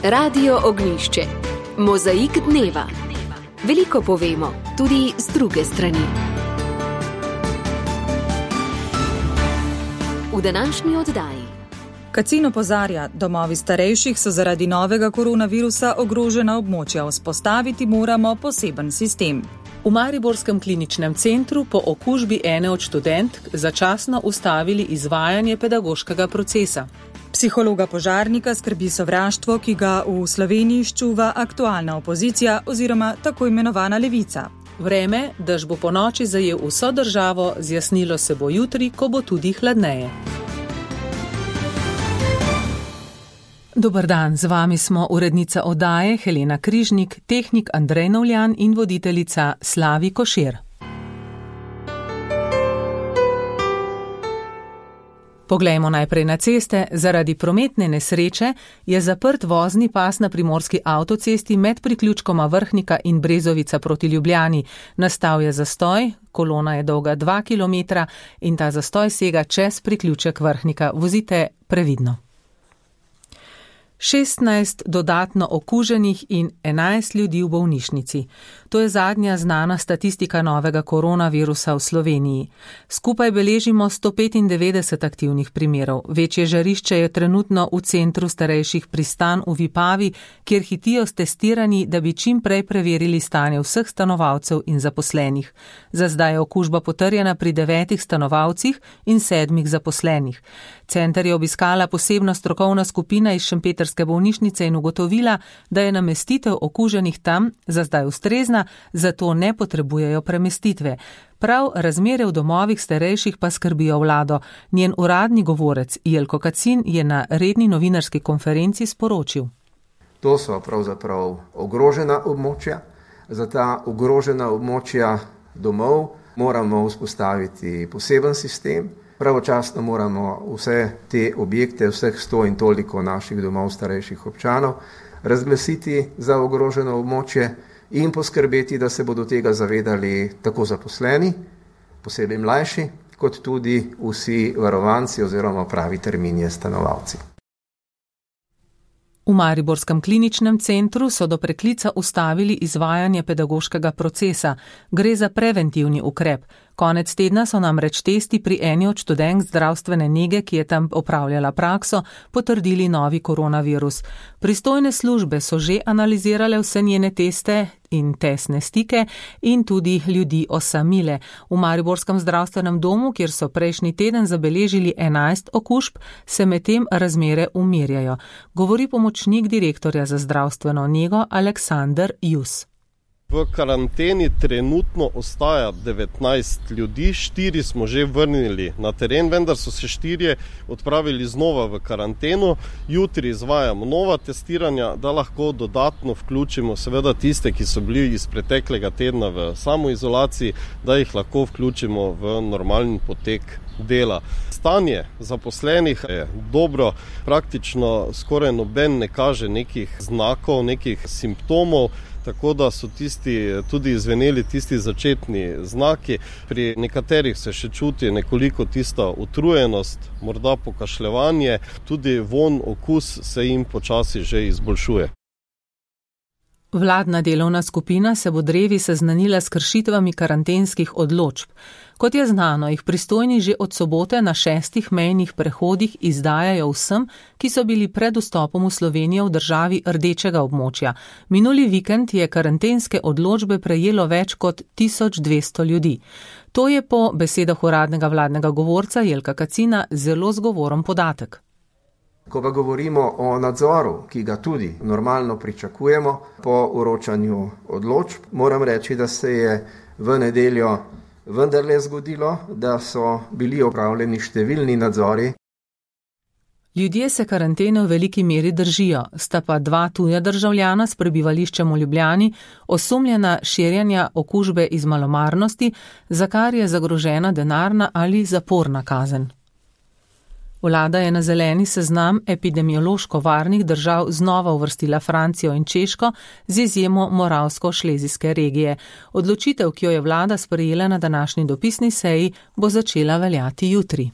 Radio Ognjišče. Mozaik dneva. Veliko povemo, tudi z druge strani. V današnji oddaji. Kacin opozarja, domovi starejših so zaradi novega koronavirusa ogrožena območja, vzpostaviti moramo poseben sistem. V mariborskem kliničnem centru po okužbi ene od študentk začasno ustavili izvajanje pedagoškega procesa. Psihologa požarnika skrbi sovraštvo, ki ga v Sloveniji ščuva aktualna opozicija oziroma tako imenovana levica. Vreme, dež bo po noči zajel vso državo, zjasnilo se bo jutri, ko bo tudi hladneje. Dober dan, z vami smo urednica oddaje Helena Križnik, tehnik Andrej Novljan in voditeljica Slavi Košir. Poglejmo najprej na ceste. Zaradi prometne nesreče je zaprt vozni pas na primorski avtocesti med priključkoma Vrhnika in Brezovica proti Ljubljani. Nastal je zastoj, kolona je dolga 2 km in ta zastoj sega čez priključek Vrhnika. Vozite previdno. 16 dodatno okuženih in 11 ljudi v bolnišnici. To je zadnja znana statistika novega koronavirusa v Sloveniji. Skupaj beležimo 195 aktivnih primerov. Večje žarišče je trenutno v centru starejših Pristan v Vipavi, kjer hitijo s testiranji, da bi čim prej preverili stanje vseh stanovalcev in zaposlenih. Za zdaj je okužba potrjena pri 9 stanovalcih in 7 zaposlenih. Center je obiskala posebna strokovna skupina iz šempetrske bolnišnice in ugotovila, da je namestitev okuženih tam za zdaj ustrezna, zato ne potrebujejo premestitve. Prav razmere v domovih starejših pa skrbijo vlado. Njen uradni govorec Jelko Kacin je na redni novinarski konferenci sporočil. To so pravzaprav ogrožena območja. Za ta ogrožena območja domov moramo vzpostaviti poseben sistem. Pravočasno moramo vse te objekte, vseh 100 in toliko naših domov starejših občanov razglasiti za ogroženo območje in poskrbeti, da se bodo tega zavedali tako zaposleni, posebej mlajši, kot tudi vsi varovanci oziroma pravi termini stanovalci. V mariborskem kliničnem centru so do preklica ustavili izvajanje pedagoškega procesa. Gre za preventivni ukrep. Konec tedna so namreč testi pri eni od študentk zdravstvene nege, ki je tam opravljala prakso, potrdili novi koronavirus. Pristojne službe so že analizirale vse njene teste in testne stike in tudi ljudi osamile. V mariborskem zdravstvenem domu, kjer so prejšnji teden zabeležili 11 okužb, se medtem razmere umirjajo. Govori pomočnik direktorja za zdravstveno nego Aleksander Jus. V karanteni trenutno ostaja 19 ljudi, 4 smo že vrnili na teren, vendar so se 4 odpravili znova v karanteno. Jutri izvajamo nova testiranja, da lahko dodatno vključimo seveda tiste, ki so bili iz preteklega tedna v samoizolaciji, da jih lahko vključimo v normalni potek dela. Stanje zaposlenih je dobro, praktično skoraj noben ne kaže nekih znakov, nekih simptomov, tako da so tudi izveneli tisti začetni znaki. Pri nekaterih se še čuti nekoliko tista utrujenost, morda pokašljevanje, tudi von, okus se jim počasi že izboljšuje. Vladna delovna skupina se bo drevi seznanila s kršitvami karantenskih odločb. Kot je znano, jih pristojni že od sobote na 6 mejnih prehodih izdajajo vsem, ki so bili pred vstopom v Slovenijo v državi rdečega območja. Minuli vikend je karantenske odločbe prejelo več kot 1200 ljudi. To je po besedah uradnega vladnega govorca Jelka Kacina zelo zgovoren podatek. Ko pa govorimo o nadzoru, ki ga tudi normalno pričakujemo po vročanju odločb, moram reči, da se je v nedeljo vendarle zgodilo, da so bili opravljeni številni nadzori. Ljudje se karantene v veliki meri držijo, sta pa 2 tuja državljana s prebivališčem v Ljubljani osumljena širjenja okužbe iz malomarnosti, za kar je zagrožena denarna ali zaporna kazen. Vlada je na zeleni seznam epidemiološko varnih držav znova uvrstila Francijo in Češko z izjemo Moravsko-Šlezijske regije. Odločitev, ki jo je vlada sprejela na današnji dopisni seji, bo začela veljati jutri.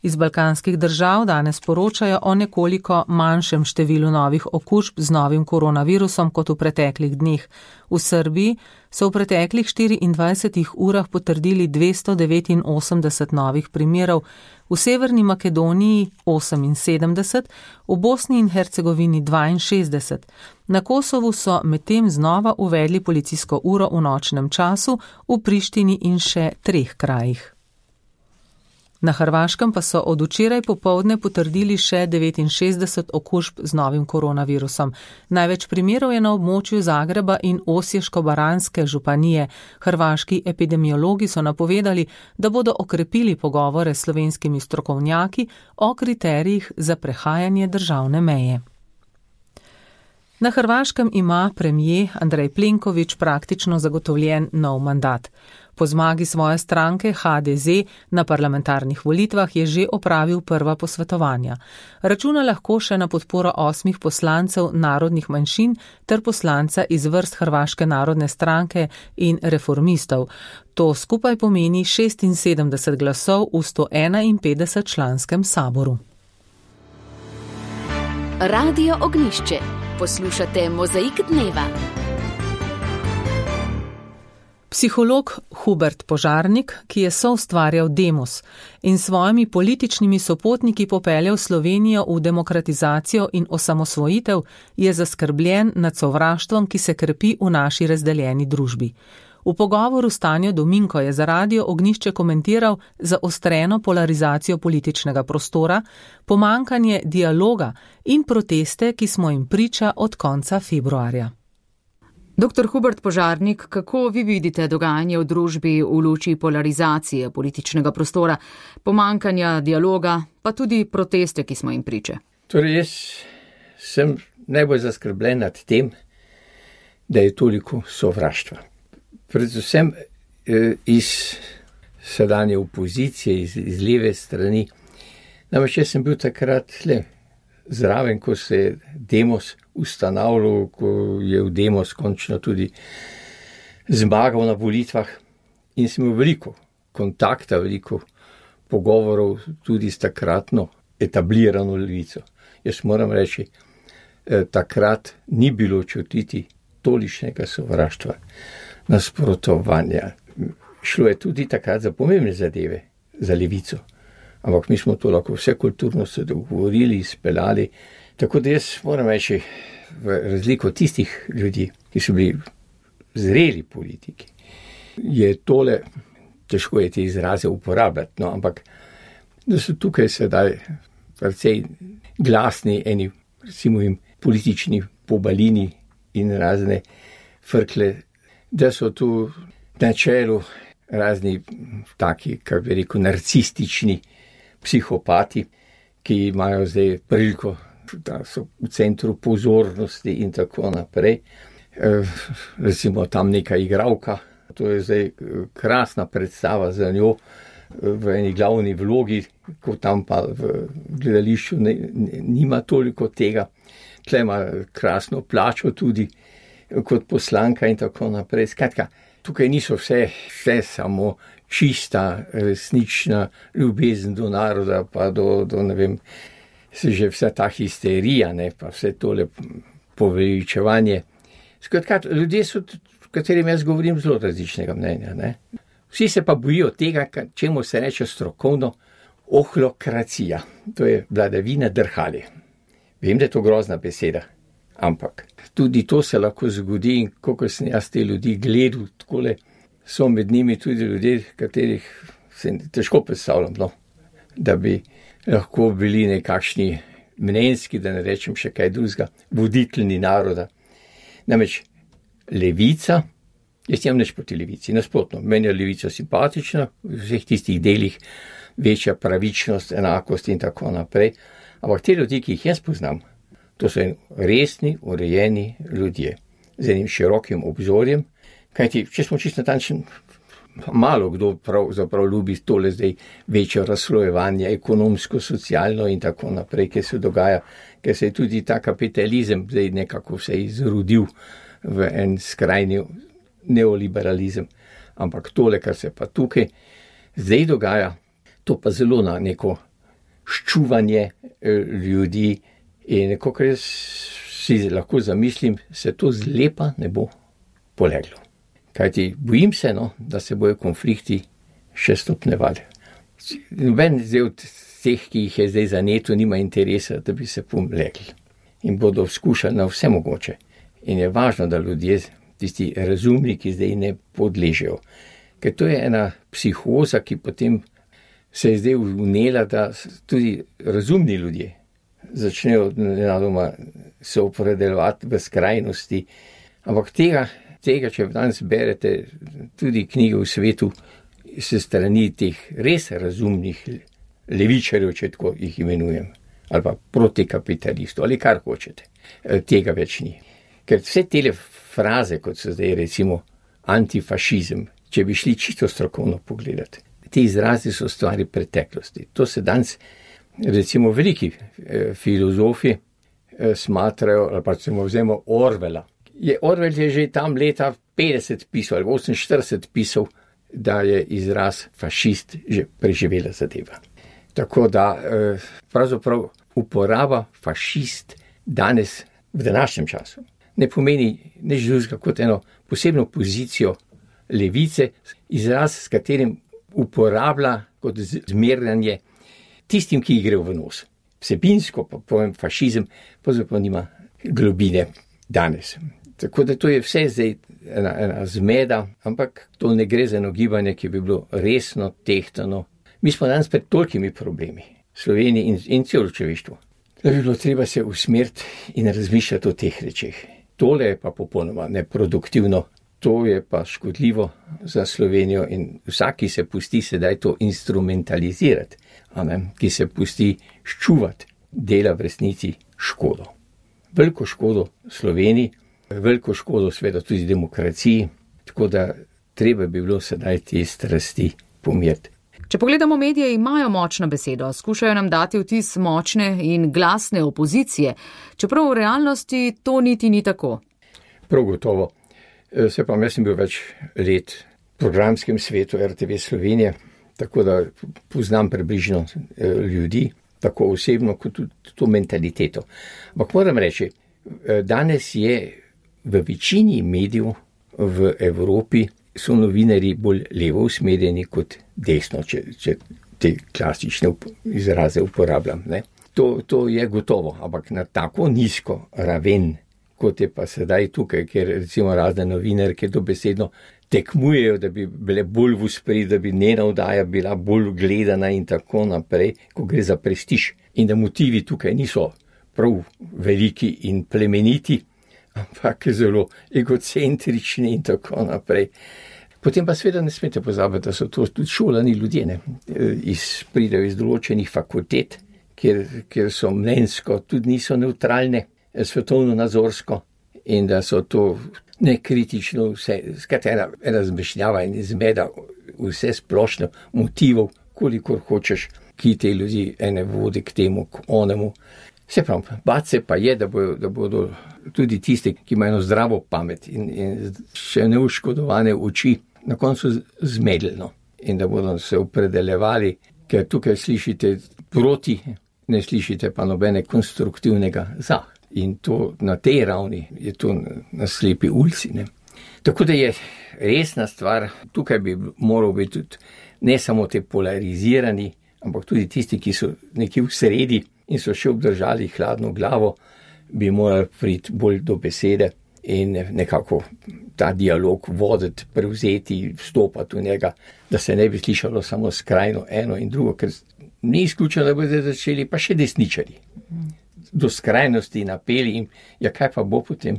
Iz balkanskih držav danes poročajo o nekoliko manjšem številu novih okužb z novim koronavirusom kot v preteklih dneh. V Srbiji so v preteklih 24 urah potrdili 289 novih primerov, v Severni Makedoniji 78, v Bosni in Hercegovini 62. Na Kosovu so medtem znova uvedli policijsko uro v nočnem času, v Prištini in še 3 krajih. Na Hrvaškem pa so od včeraj popoldne potrdili še 69 okužb z novim koronavirusom. Največ primerov je na območju Zagreba in Osječko-baranjske županije. Hrvaški epidemiologi so napovedali, da bodo okrepili pogovore s slovenskimi strokovnjaki o kriterijih za prehajanje državne meje. Na Hrvaškem ima premier Andrej Plenković praktično zagotovljen nov mandat. Po zmagi svoje stranke HDZ na parlamentarnih volitvah je že opravil prva posvetovanja. Računa lahko še na podporo 8 poslancev narodnih manjšin ter poslanca iz vrst Hrvaške narodne stranke in reformistov. To skupaj pomeni 76 glasov v 151 članskem saboru. Radio Ognjišče. Poslušate Mozaik dneva. Psiholog Hubert Požarnik, ki je soustvarjal Demos in svojimi političnimi sopotniki popeljal Slovenijo v demokratizacijo in osamosvojitev, je zaskrbljen nad sovraštvom, ki se krepi v naši razdeljeni družbi. V pogovoru s Tanjo Dominko je za Radio Ognjišče komentiral zaostreno polarizacijo političnega prostora, pomanjkanje dialoga in proteste, ki smo jim priča od konca februarja. Dr. Hubert Požarnik, kako vi vidite dogajanje v družbi v luči polarizacije političnega prostora, pomanjkanja dialoga, pa tudi proteste, ki smo jim priče? Torej, jaz sem najbolj zaskrbljen nad tem, da je toliko sovraštva. Predvsem iz sedanje opozicije, iz leve strani. Namreč jaz sem bil takrat zraven, ko se je Demos ustanavljal, ko je v Demos končno tudi zmagal na volitvah in sem imel veliko kontakta, veliko pogovorov tudi s takratno etablirano levico. Jaz moram reči, takrat ni bilo čutiti tolikšnega sovraštva, nasprotovanja. Šlo je tudi takrat za pomembne zadeve, za levico. Ampak mi smo to lahko vse kulturno se dogovorili, izpeljali. Tako da jaz moram reči, v razliko tistih ljudi, ki so bili zreli politiki, je tole, težko je te izraze uporabljati, no, ampak da so tukaj sedaj precej glasni eni, recimo jim politični pobalini in razne frkle, da so tu na čelu razni taki, kako bi rekel, narcistični psihopati, ki imajo zdaj priliko, da so v centru pozornosti in tako naprej. Recimo tam neka igralka, to je zdaj krasna predstava za njo v eni glavni vlogi, ko tam pa v gledališču nima toliko tega. Tle ima krasno plačo tudi kot poslanka in tako naprej. Skratka, tukaj niso vse samo čista, resnična ljubezen do naroda, pa do ne vem, se že vsa ta histerija, ne, pa vse tole poveličevanje. Skratka, ljudje so, v katerem jaz govorim, zelo različnega mnenja, ne. Vsi se pa bojijo tega, čemu se reče strokovno ohlokracija. To je vladavina drhali. Vem, da je to grozna beseda, ampak tudi to se lahko zgodi in koliko sem jaz te ljudi gledal, takole so med njimi tudi ljudje, katerih se težko predstavljam, no, da bi lahko bili nekakšni mnenjski, da ne rečem še kaj drugega, voditeljni naroda. Namreč levica, jaz nimam nič proti levici, nasprotno, meni je levica simpatična, v vseh tistih delih večja pravičnost, enakost in tako naprej, ampak te ljudi, ki jih jaz poznam, to so resni, urejeni ljudje, z enim širokim obzorjem, kajti, če smo čisto natančni, malo kdo pravzaprav ljubi tole zdaj večje razslojevanje, ekonomsko, socialno in tako naprej, ki se dogaja, ker se je tudi ta kapitalizem zdaj nekako se izrodil v en skrajni neoliberalizem. Ampak tole, kar se pa tukaj zdaj dogaja, to pa zelo na neko ščuvanje ljudi in nekako jaz si lahko zamislim, se to zlepa ne bo poleglo. Kajti bojim se, da se bojo konflikti še stopnjevali. Noben od teh, ki jih je zdaj zaneto, nima interesa, da bi se pomlegli. In bodo skušali na vse mogoče. In je važno, da ljudje, tisti razumni, ki zdaj ne podležejo. Ker to je ena psihoza, ki potem se je zdaj vnela, da tudi razumni ljudje začnejo nenadoma se opredeljevati v skrajnosti. Ampak tega, če danes berete tudi knjige v svetu, se strani teh res razumnih levičarjev, če tako jih imenujem, ali pa protikapitalistov, ali kar hočete, tega več ni. Ker vse tele fraze, kot so zdaj recimo antifašizem, če bi šli čisto strokovno pogledati, ti izrazi so stvari preteklosti. To se danes recimo veliki filozofi smatrajo, ali pa recimo vzemo Orwella. Orwell je že tam leta 50 pisal, ali 48 pisal, da je izraz fašist že preživela zadeva. Tako da pravzaprav uporaba fašist danes v današnjem času ne pomeni nič drugega kot eno posebno pozicijo levice, izraz, s katerim uporablja kot zmerjanje tistim, ki gre v nos. Vsebinsko pa povem fašizem, pravzaprav nima globine danes. Tako da to je vse zdaj ena zmeda, ampak to ne gre za eno gibanje, ki bi bilo resno, tehtano. Mi smo danes pred tolikimi problemi, Sloveniji in celo človeštvo, da bi bilo treba se usmeriti in razmišljati o teh rečeh. Tole je pa popolnoma neproduktivno, to je pa škodljivo za Slovenijo in vsak, ki se pusti sedaj to instrumentalizirati, ki se pusti ščuvati, dela v resnici škodo. Veliko škodo Sloveniji, veliko škodo seveda tudi demokraciji, tako da treba bi bilo sedaj te strasti pomiriti. Če pogledamo, medije imajo močno besedo, skušajo nam dati vtis močne in glasne opozicije, čeprav v realnosti to niti ni tako. Prav gotovo. Se pa jaz sem bil več let v programskem svetu RTV Slovenije, tako da poznam približno ljudi, tako osebno kot tudi to mentaliteto. Ampak moram reči, danes je v večini medijev v Evropi so novinarji bolj levo usmerjeni kot desno, če te klasične izraze uporabljam. Ne? To je gotovo, ampak na tako nizko raven, kot je pa sedaj tukaj, ker recimo razne novinarke dobesedno tekmujejo, da bi bile bolj v ospredju, da bi njena oddaja bila bolj gledana in tako naprej, ko gre za prestiž. In da motivi tukaj niso prav veliki in plemeniti, ampak zelo egocentrični in tako naprej. Potem pa seveda ne smete pozabiti, da so to tudi šolani ljudje, pridejo iz določenih fakultet, kjer so mnenjsko, tudi niso neutralne, svetovno nazorsko in da so to nekritično vse, skratera ena zmešnjava in zmeda vse splošno motivov, kolikor hočeš, ki te ljudi ene vodi k temu, k onemu. Se pravi, bati se pa je, da bodo tudi tisti, ki imajo zdravo pamet in še neuškodovane oči, na koncu zmedljeno in da bodo se opredeljevali, ker tukaj slišite proti, ne slišite pa nobene konstruktivnega za. In to na tej ravni je to na slepi ulici. Tako da je resna stvar, tukaj bi moral biti tudi ne samo te polarizirani, ampak tudi tisti, ki so nekje v sredi in so še obdržali hladno glavo, bi morali priti bolj do besede in nekako ta dialog voditi, prevzeti, vstopati v njega, da se ne bi slišalo samo skrajno eno in drugo, ker ni izključeno, da bodo začeli pa še desničari. Do skrajnosti napeli in ja, kaj pa bo potem?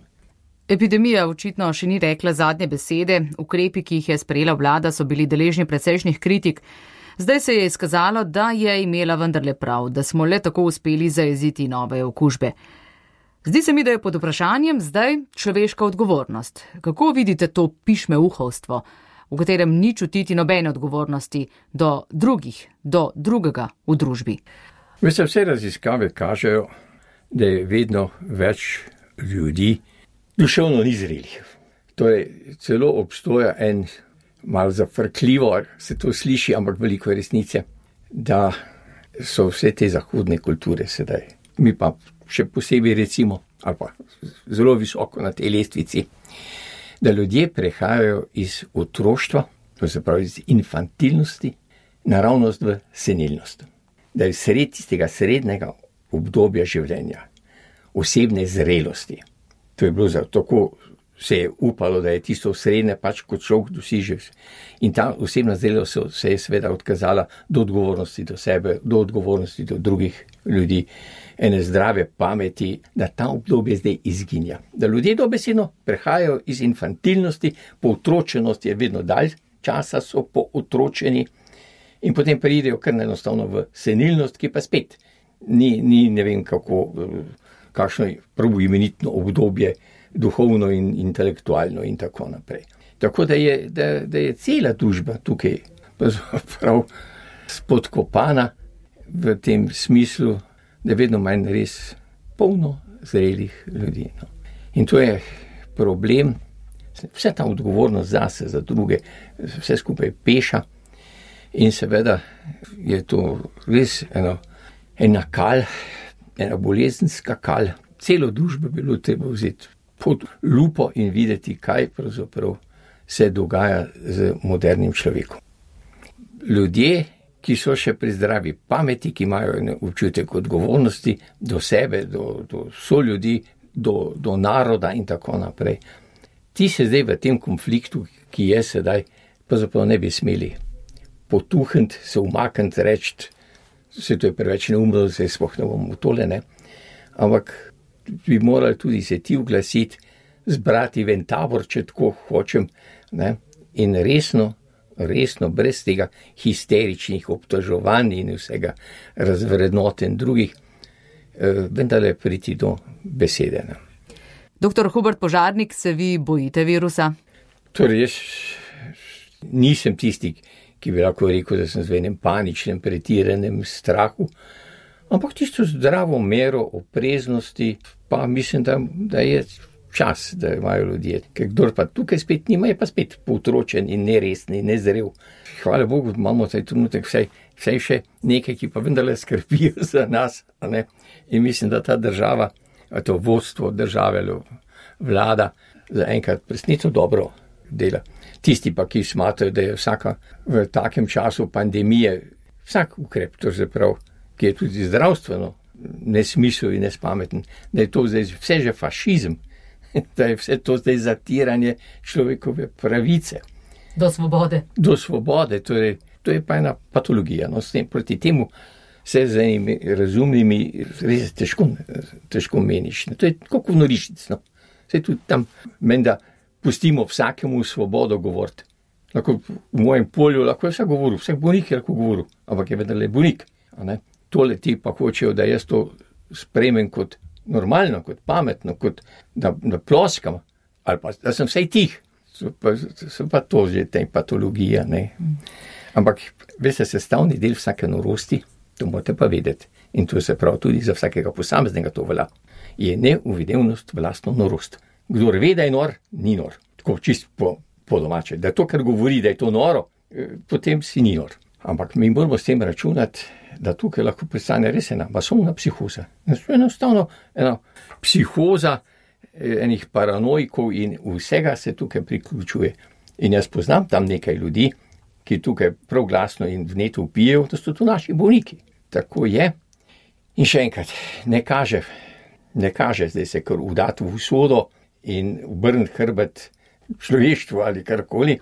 Epidemija očitno še ni rekla zadnje besede, ukrepi, ki jih je sprejela vlada, so bili deležni precejšnjih kritik. Zdaj se je izkazalo, da je imela vendarle prav, da smo le tako uspeli zajeziti nove okužbe. Zdi se mi, da je pod vprašanjem zdaj človeška odgovornost. Kako vidite to pišmeuhovstvo, v katerem ni čutiti nobene odgovornosti do drugih, do drugega v družbi? Vse raziskave kažejo, da je vedno več ljudi duševno nizrelih. Torej, celo obstoja en malo zafrkljivo, se to sliši, ampak veliko resnice, da so vse te zahodne kulture sedaj. Mi pa še posebej recimo, ali pa zelo visoko na tej lestvici, da ljudje prehajajo iz otroštva, to se pravi iz infantilnosti, naravnost v senilnost. Da je sred tistega srednjega obdobja življenja, osebne zrelosti. To je bilo tako, se je upalo, da je tisto srednje pač kot človek doseže. In ta osebna zrelost se je seveda odkazala do odgovornosti do sebe, do odgovornosti do drugih ljudi, ene zdrave pameti, da ta obdobje zdaj izginja. Da ljudje dobesedno prehajajo iz infantilnosti, po otročenosti je vedno dalj časa so po otročeni in potem pridejo kar enostavno v senilnost, ki pa spet ni ne vem kakšno prav imenitno obdobje, duhovno in intelektualno in tako naprej. Tako da je cela družba tukaj prav spodkopana v tem smislu, da je vedno manj res polno zrelih ljudi. No. In to je problem, vse ta odgovornost zase, za druge, vse skupaj peša in seveda je to res ena kal, ena bolezenska kal. Celo družbo bilo treba vzeti pod lupo in videti, kaj pravzaprav se dogaja z modernim človekom. Ljudje, ki so še pri zdravi pameti, ki imajo občutek odgovornosti do sebe, do soljudi, do naroda in tako naprej. Ti se zdaj v tem konfliktu, ki je sedaj, pravzaprav ne bi smeli potuhniti, se umakniti, reči, se to je preveč neumno, se sploh ne bomo tole, ne. Ampak bi morali tudi se ti oglasiti, zbrati ven tabor, če tako hočem, ne, in resno, brez tega histeričnih obtoževanj in vsega razvrednotenj drugih, vendarle priti do besede. Ne. Doktor Hubert Požarnik, se vi bojite virusa? Torej, jaz nisem tisti, ki bi lahko rekel, da sem v enem paničnem, pretiranem strahu, ampak tisto zdravo mero opreznosti, pa mislim, da je čas, da imajo ljudje. Ker kdor pa tukaj spet nima, je pa spet potročen in neresni, nezrel. Hvala Bogu, imamo taj trenutek vsaj še nekaj, ki pa vendarle skrbijo za nas, a ne? In mislim, da ta država, to vodstvo države, vlada, zaenkrat presneto dobro dela. Tisti pa, ki smatrajo, da je vsaka v takem času pandemije, vsak ukrep, to je prav, ki je tudi zdravstveno nesmisel in nespameten, da je to zdaj vse že fašizem, da je vse to zdaj zatiranje človekove pravice. Do svobode. Do svobode, torej, to je pa ena patologija. No, s tem, proti temu se z enimi razumnimi res težko meniš. To je kot norišnic. No. Se tudi tam menda pustimo vsakemu svobodo govoriti. Lahko v mojem polju lahko je vsak govoril, vsak bolnik je lahko govoril, ampak je vendarle bolnik. Tole ti pa hočejo, da jaz to sprejmem kot normalno, kot pametno, kot da ploskam, ali pa da sem vsej tih. So pa to že te patologija, ne. Ampak, veste, sestavni del vsake norosti, to morate pa vedeti, in to se pravi tudi za vsakega posameznega to velja, je neuvidevnost v lastno norost. Kdor ve, da je nor, ni nor. Tako čisto po domače. Da to, kar govori, da je to noro, potem si ni nor. Ampak mi moramo s tem računati, da tukaj lahko pristane res ena masovna psihoza. Enostavno ena psihoza enih paranojkov in vsega se tukaj priključuje. In jaz poznam tam nekaj ljudi, ki tukaj prav glasno in vneto vpijejo, da so to naši bolniki. Tako je. In še enkrat, ne kaže zdaj se kar udati v usodo in obrniti hrbet človeštvu ali karkoli,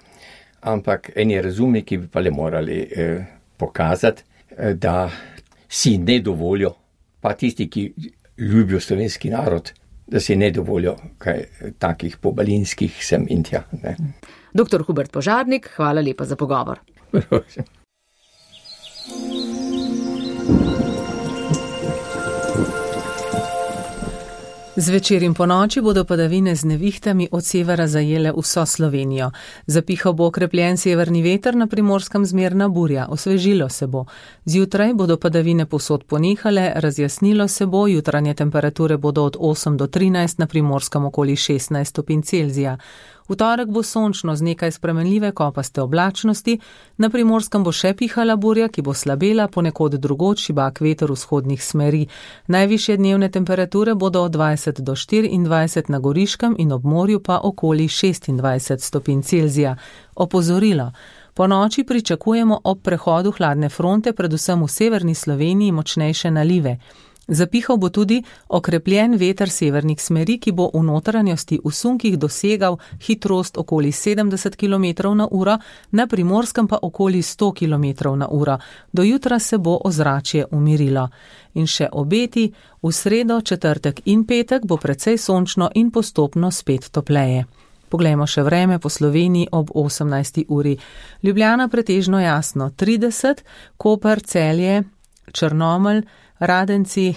ampak eni razumniki bi pa le morali pokazati, da si ne dovolijo, pa tisti, ki ljubijo slovenski narod, da si ne dovolijo kaj takih pobalinskih sem in tja. Ne. Doktor Hubert Požarnik, hvala lepa za pogovor. Zvečer in ponoči bodo padavine z nevihtami od severa zajele vso Slovenijo. Zapihal bo okrepljen severni veter, na Primorskem zmerna burja, osvežilo se bo. Zjutraj bodo padavine povsod ponehale, razjasnilo se bo, jutranje temperature bodo od 8 do 13, na Primorskem okoli 16 stopinj Celzija. V torek bo sončno z nekaj spremenljive kopaste oblačnosti, na Primorskem bo še pihala burja, ki bo slabela, ponekod drugod šibak veter vzhodnih smeri. Najvišje dnevne temperature bodo od 20 do 24 na Goriškem in ob morju pa okoli 26 stopinj Celzija. Opozorilo. Po noči pričakujemo ob prehodu hladne fronte predvsem v severni Sloveniji močnejše nalive. Zapihal bo tudi okrepljen veter severnih smeri, ki bo v notranjosti v sunkih dosegal hitrost okoli 70 km na uro, na Primorskem pa okoli 100 km na uro. Do jutra se bo ozračje umirilo. In še obeti, v sredo, četrtek in petek bo precej sončno in postopno spet topleje. Poglejmo še vreme po Sloveniji ob 18. uri. Ljubljana pretežno jasno 30, Koper, Celje, Črnomelj, Radenci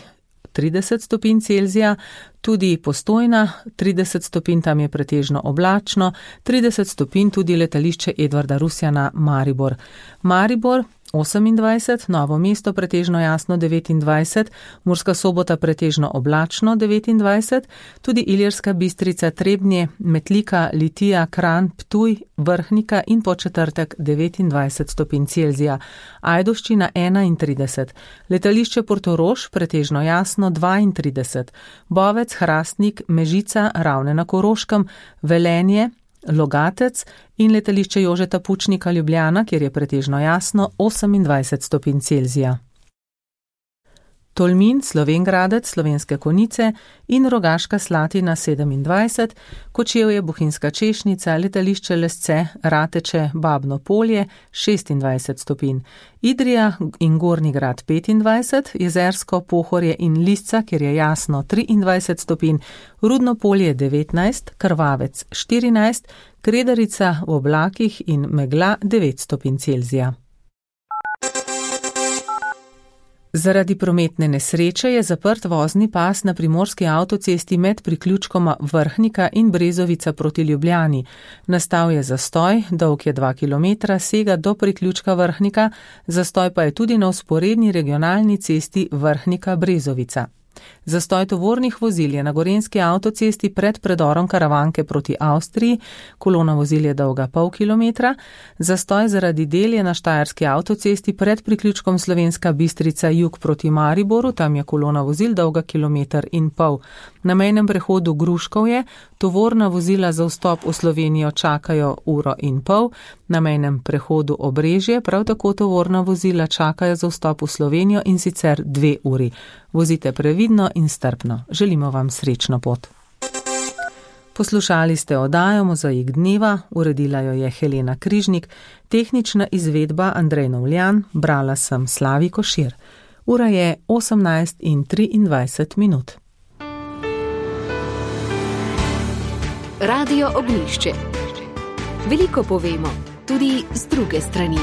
30 stopinj Celzija, tudi Postojna 30 stopinj, tam je pretežno oblačno, 30 stopinj tudi letališče Edvarda Rusjana Maribor. Maribor 28, Novo mesto pretežno jasno 29, Murska Sobota pretežno oblačno 29, tudi Ilirska Bistrica, Trebnje, Metlika, Litija, Kranj, Ptuj, Vrhnika in po četrtek 29 stopinj Celzija. Ajdovščina 31, letališče Portorož pretežno jasno 32, Bovec, Hrastnik, Mežica, Ravne na Koroškem, Velenje, Logatec in letališče Jožeta Pučnika Ljubljana, kjer je pretežno jasno 28 stopinj Celzija. Tolmin, Slovenj Gradec, Slovenske Konjice in Rogaška Slatina 27, Kočevje, Bohinjska Češnica, letališče Lesce, Rateče, Babno Polje 26 stopinj. Idrija in Gornji Grad 25, Jezersko, Pohorje in Lisca, kjer je jasno 23 stopinj, Rudno Polje 19, Krvavec 14, Kredarica v oblakih in megla 9 stopinj Celzija. Zaradi prometne nesreče je zaprt vozni pas na primorski avtocesti med priključkoma Vrhnika in Brezovica proti Ljubljani. Nastal je zastoj, dolg je 2 km, sega do priključka Vrhnika, zastoj pa je tudi na vzporedni regionalni cesti Vrhnika-Brezovica. Zastoj tovornih vozil je na gorenjski avtocesti pred predorom Karavanke proti Avstriji, kolona vozil je dolga pol kilometra, zastoj zaradi del je na štajerski avtocesti pred priključkom Slovenska Bistrica jug proti Mariboru, tam je kolona vozil dolga 1,5 km. Na mejnem prehodu Gruškovje tovorna vozila za vstop v Slovenijo čakajo 1,5 ure, na mejnem prehodu Obrežje prav tako tovorna vozila čakajo za vstop v Slovenijo in sicer 2 uri. Vozite previdno in strpno. Želimo vam srečno pot. Poslušali ste oddajo Mozaik dneva, uredila jo je Helena Križnik, tehnična izvedba Andrej Novljan, brala sem Slavi Košir. Ura je 18:23. Radio Ognjišče. Veliko povemo, tudi z druge strani.